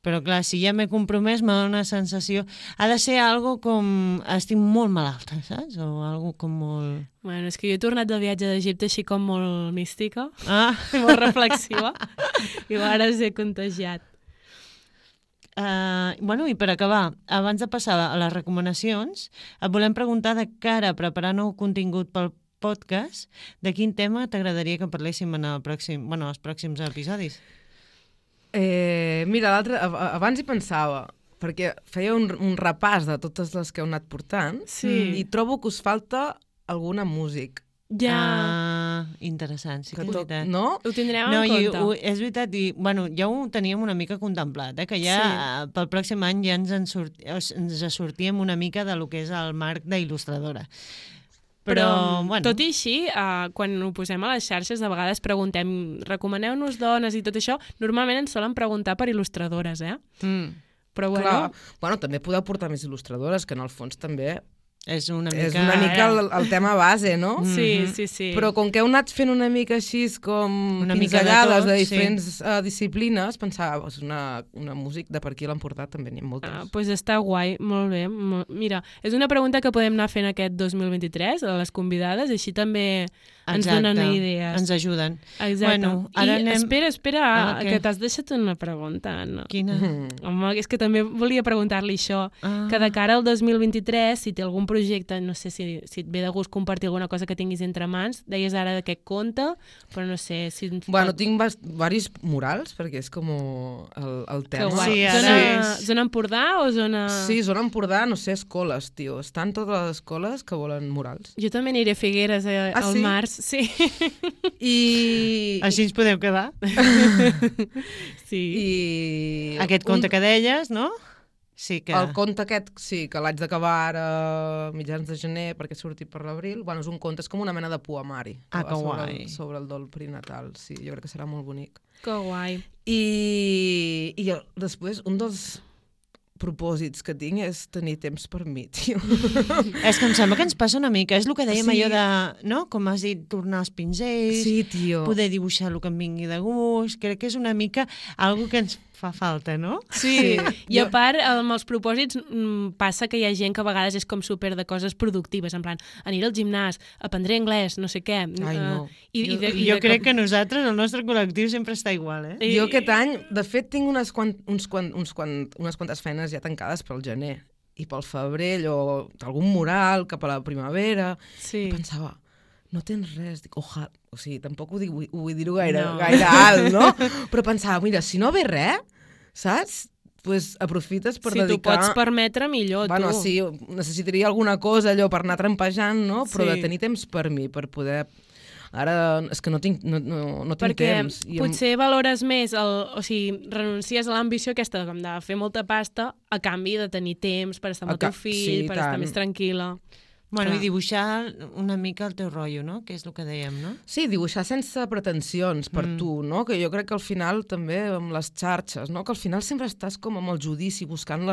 Però clar, si ja m'he compromès, me dona una sensació... Ha de ser algo com... Estic molt malalta, saps? O algo com molt... Bueno, és que jo he tornat del viatge d'Egipte així com molt mística, I molt reflexiva, i ara us he contagiat. I per acabar, abans de passar a les recomanacions, et volem preguntar de cara a preparar nou contingut pel podcast, de quin tema t'agradaria que parléssim en els pròxims episodis? Mira, abans hi pensava, perquè feia un repàs de totes les que heu anat portant i trobo que us falta alguna músic. Ja. Interessant, sí que és veritat. No? Ho tindrem en compte. És veritat, i ja ho teníem una mica contemplat, que ja pel pròxim any ja ens sortíem una mica de lo que és el marc d'il·lustradora. Però tot i així, quan ho posem a les xarxes, de vegades preguntem, recomaneu-nos dones i tot això, normalment ens solen preguntar per il·lustradores, Però Clar. Bueno, també podeu portar més il·lustradores, que en el fons també és una mica el tema base, no? Sí. Però com que heu anat fent una mica així com pinzellades de diferents disciplines, pensava, una músic de per aquí l'han portat també n'hi ha moltes. Doncs està guai, molt bé. Mira, és una pregunta que podem anar fent aquest 2023 a les convidades, així també ens donen idees. Ens ajuden. Exacte. Bueno, ara espera, que t'has deixat una pregunta, Anna. Quina? Home, és que també volia preguntar-li això, que de cara al 2023, si té algun projecte, no sé si et ve de gust compartir alguna cosa que tinguis entre mans, deies ara de què compta, però no sé si... Bueno, tinc diversos murals, perquè és com el tema. Sí, zona Empordà o zona... Sí, zona Empordà, no sé, escoles, tio. Estan totes les escoles que volen murals. Jo també aniré a Figueres al març. Sí. I... Així ens podeu quedar. Sí. I... Aquest conte que deies, no? Sí que... El conte aquest, sí, que l'haig d'acabar ara mitjans de gener perquè surti per l'abril. Bueno, és un conte, és com una mena de poemari. Que guai. Sobre el dol perinatal, sí. Jo crec que serà molt bonic. Que guai. I després, un dels propòsits que tinc és tenir temps per mi, tio. És que em sembla que ens passa una mica. És el que dèiem allò de, no? Com has dit, tornar als pinzells, poder dibuixar el que em vingui de gust. Crec que és una mica algo que ens fa falta, no? Sí. I a part, amb els propòsits passa que hi ha gent que a vegades és com super de coses productives, en plan, aniré al gimnàs, aprendré anglès, no sé què. Ai, no. Jo crec que nosaltres, el nostre col·lectiu, sempre està igual, Jo aquest any, de fet, tinc unes quantes feines ja tancades pel gener i pel febrer, allò, algun mural cap a la primavera. Sí. I pensava, no tens res, dic, ojalà, o sigui, tampoc ho vull dir-ho gaire alt, no? Però pensava, mira, si no ve res, saps? Pues aprofites per dedicar... Si t'ho pots permetre, millor, bueno, tu. Sí, necessitaria alguna cosa allò per anar trampejant, no? Però de tenir temps per mi, per poder... Ara és que no tinc temps. Perquè potser valores més, o sigui, renuncies a l'ambició aquesta de fer molta pasta a canvi de tenir temps per estar amb el teu fill, per estar més tranquil·la. Bueno, i dibuixar una mica el teu rotllo, no? Que és el que dèiem, no? Sí, dibuixar sense pretensions per tu, no? Que jo crec que al final també amb les xarxes, no? Que al final sempre estàs com amb el judici, buscant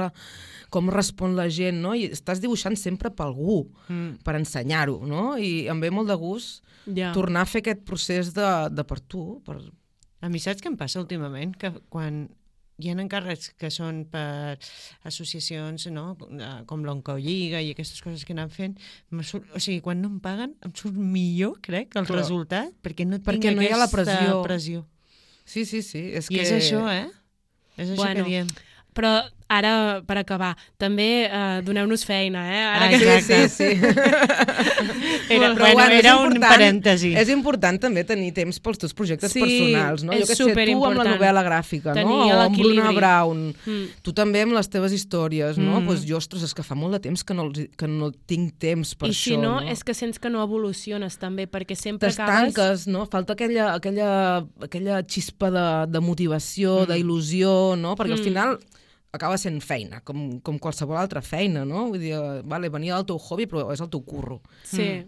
com respon la gent, no? I estàs dibuixant sempre per algú, per ensenyar-ho, no? I em ve molt de gust tornar a fer aquest procés de per tu. A mi saps què em passa últimament? Que quan hi ha encàrrecs que són per associacions, no? Com l'Oncolliga i aquestes coses que anem fent, o sigui, quan no em paguen em surt millor, crec, el resultat, perquè no tinc no hi ha la pressió. Sí. És això, És això que diem. Però ara, per acabar, també doneu-nos feina, Ara sí. Era un parèntesi. És important també tenir temps pels teus projectes personals, no? És superimportant. Tu amb la novel·la gràfica, no? O amb Bruna Brown. Tu també amb les teves històries, no? Doncs jo, ostres, és que fa molt de temps que no tinc temps per això. I si no, és que sents que no evoluciones també, perquè sempre t'estanques, no? Falta aquella xispa de motivació, d'il·lusió, no? Perquè al final acaba sent feina, com qualsevol altra feina, no? Vull dir, venia del teu hobby, però és el teu curro. Sí.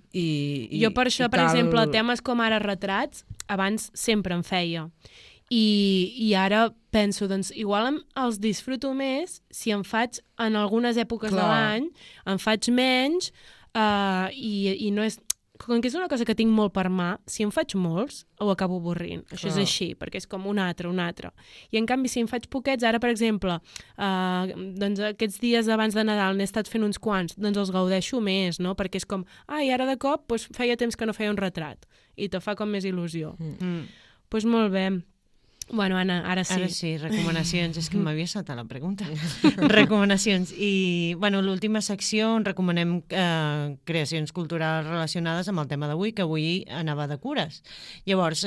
Jo per això, per exemple, temes com ara retrats, abans sempre em feia. I ara penso, doncs, igual els disfruto més si em faig en algunes èpoques de l'any, em faig menys, i no és... Com que és una cosa que tinc molt per mà, si en faig molts, ho acabo avorrint. Això és així, perquè és com un altre. I en canvi, si en faig poquets, ara, per exemple, doncs aquests dies abans de Nadal n'he estat fent uns quants, doncs els gaudeixo més, no? Perquè és com, i ara de cop doncs, feia temps que no feia un retrat. I te fa com més il·lusió. Doncs molt bé. Bueno, Anna, ara sí. Ara sí, recomanacions. És que m'havia saltat la pregunta. Recomanacions. I, bueno, l'última secció on recomanem creacions culturals relacionades amb el tema d'avui, que avui anava de cures. Llavors,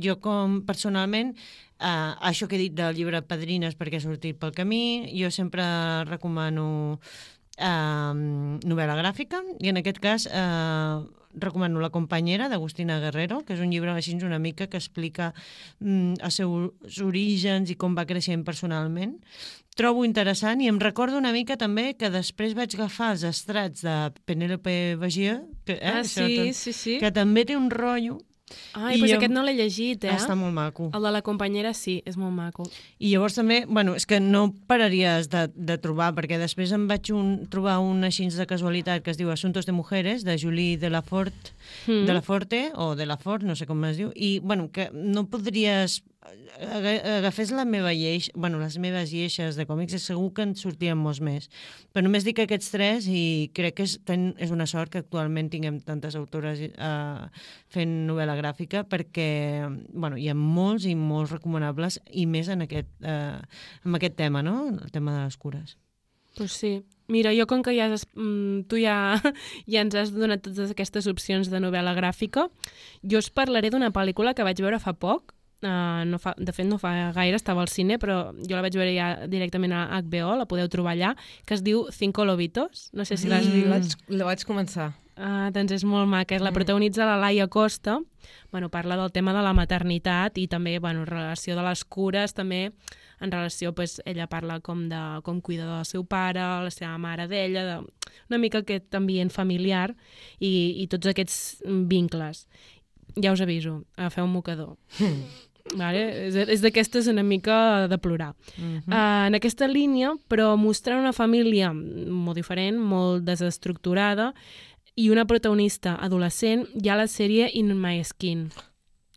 jo com personalment, això que he dit del llibre Padrines perquè ha sortit pel camí, jo sempre recomano novel·la gràfica, i en aquest cas recomano La companyera d'Agustina Guerrero, que és un llibre així una mica que explica els seus orígens i com va creixent personalment. Trobo interessant i em recordo una mica també que després vaig agafar els estrats de Penélope Bagier, que, sí. que també té un rotllo. Doncs aquest no l'he llegit, Està molt maco. El de La companyera sí, és molt maco. I llavors també, bueno, és que no pararies de trobar, perquè després em vaig trobar un així de casualitat que es diu Asuntos de Mujeres, de Julie Delaforte, no sé com es diu, i, bueno, que no podries... Agafés les meves lleixes de còmics i segur que en sortien molts més. Però només dic aquests tres i crec que és una sort que actualment tinguem tantes autores fent novel·la gràfica perquè hi ha molts i molts recomanables i més en aquest tema, no? El tema de les cures. Pues sí. Mira, jo com que tu ja ens has donat totes aquestes opcions de novel·la gràfica, jo us parlaré d'una pel·lícula que vaig veure fa poc. De fet no fa gaire, estava al cine, però jo la vaig veure ja directament a HBO, la podeu trobar allà, que es diu Cinco Lobitos. No sé si l'has vist. La vaig començar. Doncs és molt maca. La protagonitza la Laia Costa. Parla del tema de la maternitat i també relació de les cures, també en relació, ella parla com cuida del seu pare, la seva mare d'ella, una mica aquest ambient familiar i tots aquests vincles. Ja us aviso, agafeu un mocador. Vale? És d'aquestes una mica de plorar. En aquesta línia, però mostrant una família molt diferent, molt desestructurada, i una protagonista adolescent, hi ha la sèrie In My Skin.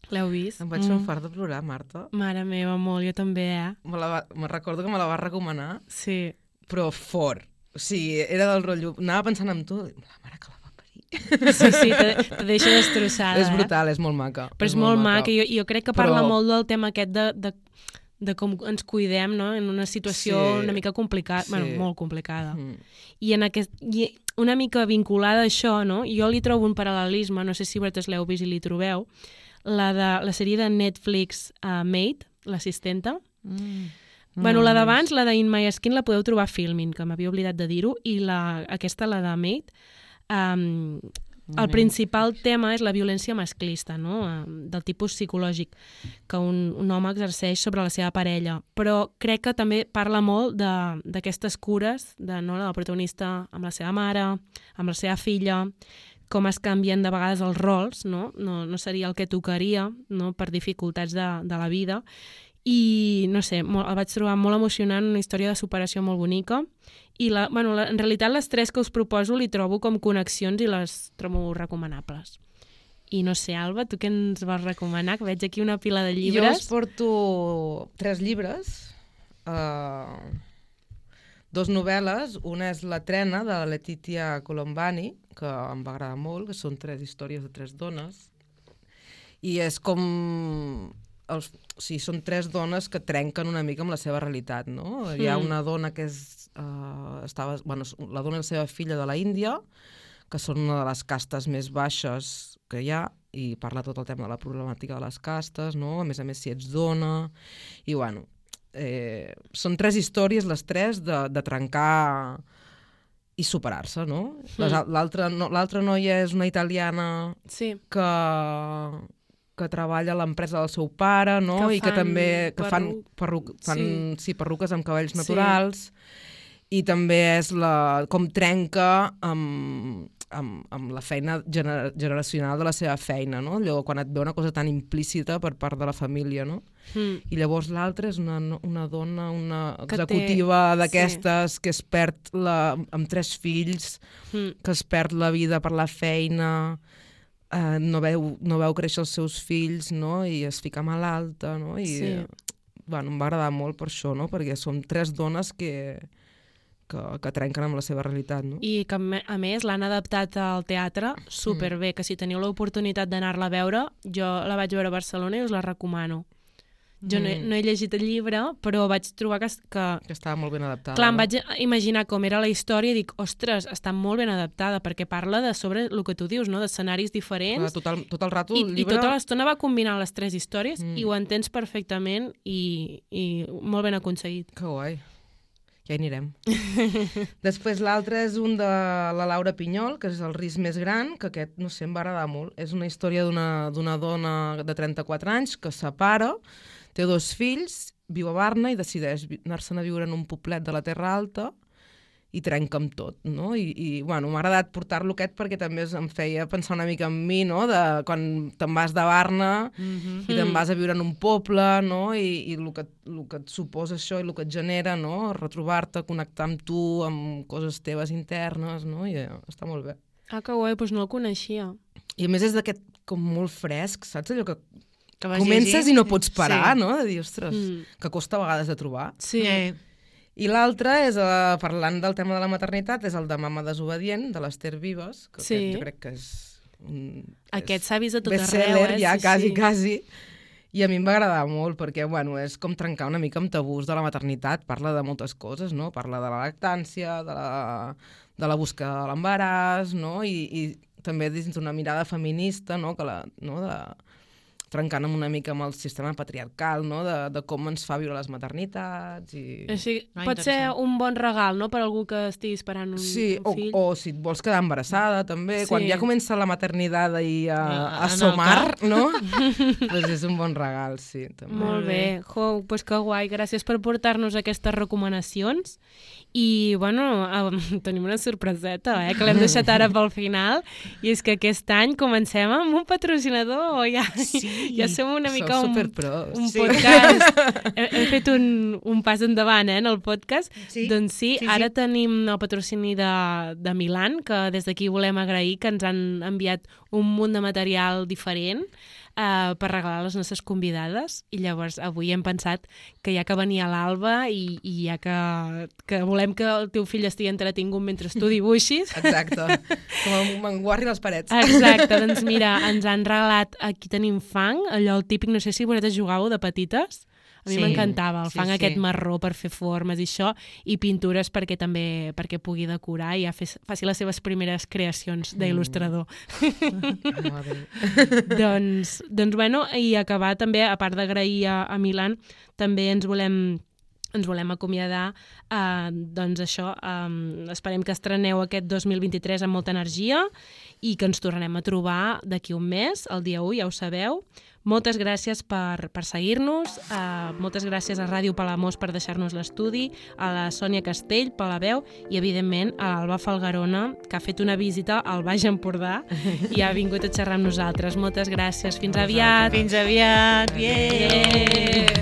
L'heu vist? Em vaig fer un fart de plorar, Marta. Mare meva, molt, jo també, Me recordo que me la vas recomanar, sí. Però fort. O sigui, era del rotllo... Anava pensant en tu, la mare que la va parir. Sí, te deixa destrossada. És brutal, és molt maca. Però és molt maca. Jo crec que parla molt del tema aquest de com ens cuidem, no? En una situació una mica complicada, molt complicada. I una mica vinculada a això, no? Jo li trobo un paral·lelisme, no sé si vosaltres l'heu vist i li trobeu, la sèrie de Netflix Maid, l'assistenta. La d'abans, la de In My Skin, la podeu trobar a Filmin, que m'havia oblidat de dir-ho, i aquesta, la de Maid, el principal tema és la violència masclista, no? Del tipus psicològic que un home exerceix sobre la seva parella. Però crec que també parla molt d'aquestes cures de la protagonista amb la seva mare, amb la seva filla, com es canvien de vegades els rols, no seria el que tocaria, no? Per dificultats de la vida. I, no sé, el vaig trobar molt emocionant, una història de superació molt bonica. I, en realitat, les tres que us proposo li trobo com connexions i les trobo recomanables. I no sé, Alba, tu què ens vas recomanar? Que veig aquí una pila de llibres. Jo us porto 3 llibres, 2 novel·les. Una és La trena, de la Letitia Colombani, que em va agradar molt, que són 3 històries de 3 dones. I és com... són 3 dones que trenquen una mica amb la seva realitat, no? Hi ha una dona que la dona i la seva filla de la Índia, que són una de les castes més baixes que hi ha, i parla tot el tema de la problemàtica de les castes, no? A més, si ets dona... I, són 3 històries, les 3, de trencar i superar-se, no? L'altra noia és una italiana que treballa a l'empresa del seu pare, no? I que també fan perruques amb cabells naturals. I també és com trenca amb amb la feina generacional de la seva feina, no? Allò, quan et ve una cosa tan implícita per part de la família, no? I llavors l'altra és una dona, una executiva d'aquestes que es perd amb 3 fills, que es perd la vida per la feina, no veu créixer els seus fills, no? I es fica malalta, no? I, bueno, em va agradar molt per això, no? Perquè som 3 dones que trenquen amb la seva realitat, no? I que, a més, l'han adaptat al teatre superbé, que si teniu l'oportunitat d'anar-la a veure, jo la vaig veure a Barcelona i us la recomano. Jo no he llegit el llibre, però vaig trobar que estava molt ben adaptada. Clar, em vaig imaginar com era la història i dic, ostres, està molt ben adaptada, perquè parla de sobre el que tu dius, no? D'escenaris diferents. Tot el rato el llibre... I tota l'estona va combinar les 3 històries i ho entens perfectament i molt ben aconseguit. Que guai. Ja hi anirem. Després l'altre és un de la Laura Pinyol, que és El risc més gran, que aquest, no sé, em va agradar molt. És una història d'una dona de 34 anys que es separa, té 2 fills, viu a Barna i decideix anar-se'n a viure en un poblet de la Terra Alta i trenca amb tot, no? I bueno, m'ha agradat portar-lo aquest perquè també em feia pensar una mica en mi, no? De quan te'n vas de Barna i te'n vas a viure en un poble, no? I el que et suposa això i el que et genera, no? Retrobar-te, connectar amb tu, amb coses teves internes, no? I està molt bé. Ah, que guai, doncs no el coneixia. I a més és d'aquest com molt fresc, saps? Allò que comences i no pots parar, no? De dir, ostres, que costa a vegades de trobar. Sí. I l'altre és, parlant del tema de la maternitat, és el de Mama desobedient, de l'Ester Vives, que jo crec que és aquest s'ha vist a tot arreu, best-seller, ja quasi. I a mi em va agradar molt, perquè bueno, és com trencar una mica amb tabús de la maternitat, parla de moltes coses, no? Parla de la lactància, de la busca de l'embaràs, no? I també dins d'una mirada feminista, no? Trencant una mica amb el sistema patriarcal, no? De com ens fa viure les maternitats. Així, pot ser un bon regal, no?, per algú que estigui esperant un fill. O si et vols quedar embarassada, també. Sí. Quan ja comença la maternitat a somar, no? Doncs és un bon regal, sí. També. Molt bé. Doncs que guai. Gràcies per portar-nos aquestes recomanacions. I, bueno, tenim una sorpreseta, que l'hem deixat ara pel final, i és que aquest any comencem amb un patrocinador, ja som una mica un podcast. Hem fet un pas endavant, en el podcast. Doncs sí, ara tenim el patrocini de Milan, que des d'aquí volem agrair, que ens han enviat un munt de material diferent per regalar a les nostres convidades, i llavors avui hem pensat que ja que venia l'Alba i ja que volem que el teu fill estigui entretingut mentre tu dibuixis. Exacte, com un manguarri a les parets. Exacte, doncs mira, ens han regalat, aquí tenim fang, allò el típic, no sé si vosaltres jugàveu de petites. A mi m'encantava el fang aquest marró per fer formes i això, i pintures perquè pugui decorar i ja faci les seves primeres creacions d'il·lustrador. Doncs, bueno, i acabar també, a part d'agrair a Milan, també ens volem acomiadar, doncs això, esperem que estreneu aquest 2023 amb molta energia i que ens tornarem a trobar d'aquí un mes, el dia 1, ja ho sabeu. Moltes gràcies per seguir-nos, moltes gràcies a Ràdio Palamós per deixar-nos l'estudi, a la Sònia Castell per la veu i, evidentment, a l'Alba Falgarona, que ha fet una visita al Baix Empordà i ha vingut a xerrar amb nosaltres. Moltes gràcies. Fins aviat. Fins aviat. Yeah.